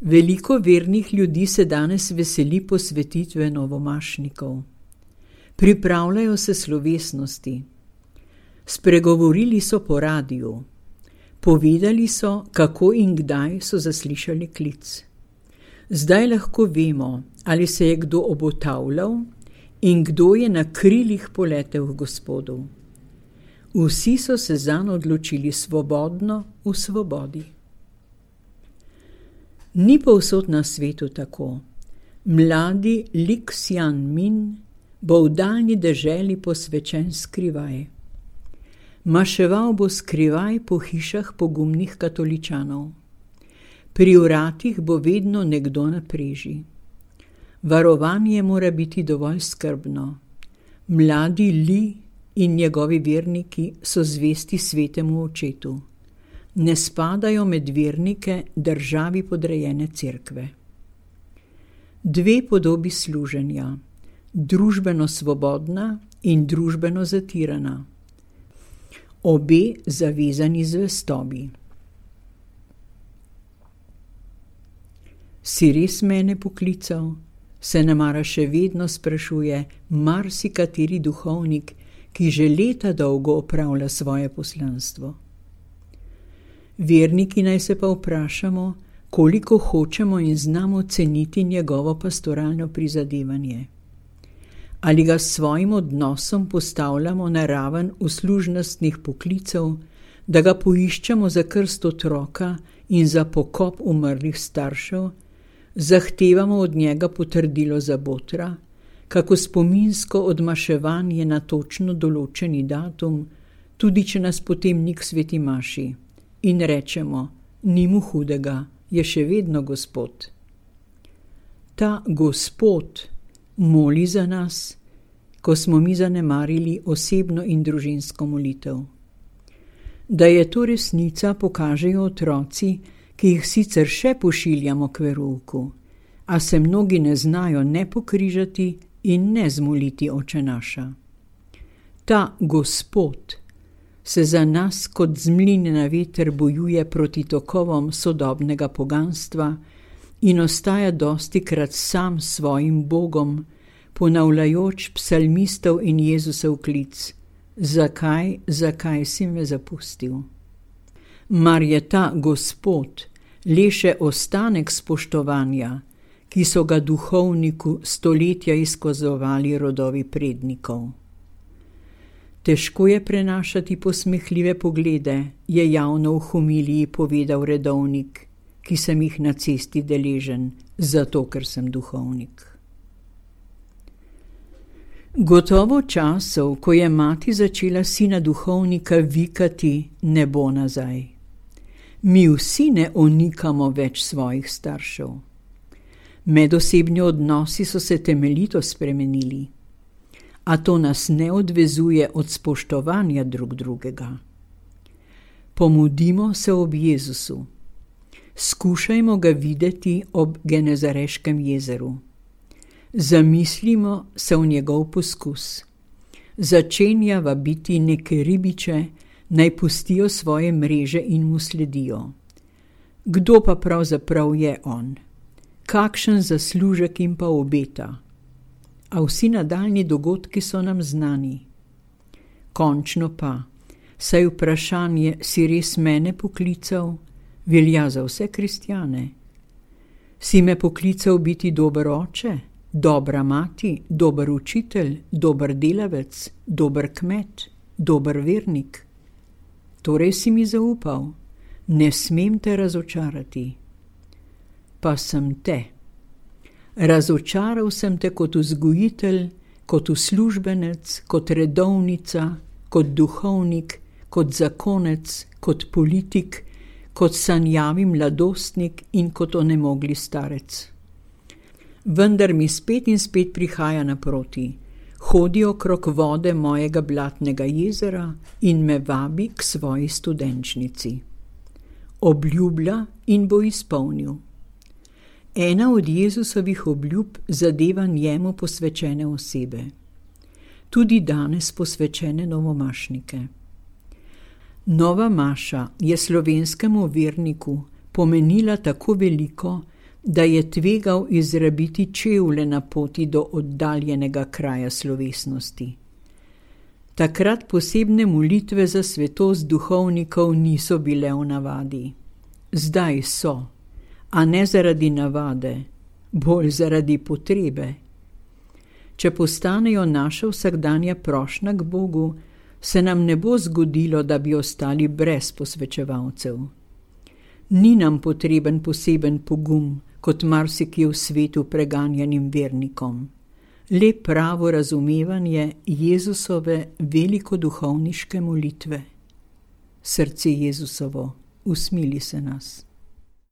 Veliko vernih ljudi se danes veseli posvetitve novomašnikov. Pripravljajo se slovesnosti. Spregovorili so po radiju. Povedali so, kako in kdaj so zaslišali klic. Zdaj lahko vemo, ali se je kdo obotavljal in kdo je na krilih poletel k Gospodu. Vsi so se zanj odločili svobodno v svobodi. Ni povsod na svetu tako. Mladi Li Xianmin bo v daljni deželi posvečen skrivaj. Maševal bo skrivaj po hišah pogumnih katoličanov. Pri vratih bo vedno nekdo na preži. Varovanje mora biti dovolj skrbno. Mladi Li in njegovi verniki so zvesti svetemu očetu. Ne spadajo med vernike državi podrejene cerkve. Dve podobi služenja, družbeno svobodna in družbeno zatirana. Obe zavezani zvestobi. Si res mene poklical? Se nemara še vedno sprašuje marsikateri duhovnik, ki že leta dolgo opravlja svoje poslanstvo. Verniki naj se pa vprašamo, koliko hočemo in znamo ceniti njegovo pastoralno prizadevanje. Ali ga s svojim odnosom postavljamo na raven uslužnostnih poklicev, da ga poiščemo za krst otroka in za pokop umrlih staršev, zahtevamo od njega potrdilo za botra, kako spominsko odmaševanje na točno določeni datum, tudi če nas potem ni k sveti maši, in rečemo, ni mu hudega, je še vedno Gospod. Ta Gospod moli za nas, ko smo mi zanemarili osebno in družinsko molitev. Da je to resnica, pokažejo otroci, ki jih sicer še pošiljamo k verouku, a se mnogi ne znajo ne pokrižati in ne zmoliti Oče naša. Ta Gospod se za nas kot z mline na veter bojuje proti tokovom sodobnega poganstva in ostaja dostikrat sam svojim Bogom, ponavljajoč psalmistov in Jezusov klic: Zakaj si me zapustil? Mar je ta Gospod le še ostanek spoštovanja, ki so ga duhovniku stoletja izkazovali rodovi prednikov? Težko je prenašati posmehljive poglede, je javno v homiliji povedal redovnik, ki sem jih na cesti deležen, zato ker sem duhovnik. Gotovo časov, ko je mati začela sina duhovnika vikati, ne bo nazaj. Mi vsi ne onikamo več svojih staršev. Medosebni odnosi so se temeljito spremenili, a to nas ne odvezuje od spoštovanja drug drugega. Pomudimo se ob Jezusu. Skušajmo ga videti ob Genezareškem jezeru. Zamislimo se v njegov poskus. Začenja vabiti neke ribiče, naj pustijo svoje mreže in mu sledijo. Kdo pa pravzaprav je on? Kakšen zaslužek jim pa obeta? A vsi nadaljni dogodki so nam znani. Končno pa, saj vprašanje, si res mene poklical, velja za vse kristjane. Si me poklical biti dober oče, dobra mati, dober učitelj, dober delavec, dober kmet, dober vernik? Torej si mi zaupal, ne smem te razočarati. Pa sem te. Razočaral sem te kot vzgojitelj, kot uslužbenec, kot redovnica, kot duhovnik, kot zakonec, kot politik, kot sanjavi mladostnik in kot onemogli starec. Vendar mi spet in spet prihaja naproti, hodi okrog vode mojega blatnega jezera in me vabi k svoji studenčnici. Obljublja in bo izpolnil. Ena od Jezusovih obljub zadeva njemu posvečene osebe. Tudi danes posvečene novomašnike. Nova maša je slovenskemu verniku pomenila tako veliko, da je tvegal izrabiti čevlje na poti do oddaljenega kraja slovesnosti. Takrat posebne molitve za svetost duhovnikov niso bile v navadi. Zdaj so, a ne zaradi navade, bolj zaradi potrebe. Če postanejo naša vsakdanja prošnja k Bogu, se nam ne bo zgodilo, da bi ostali brez posvečevalcev. Ni nam potreben poseben pogum, kot marsikje v svetu preganjanim vernikom. Le pravo razumevanje Jezusove velikoduhovniške molitve. Srce Jezusovo, usmili se nas.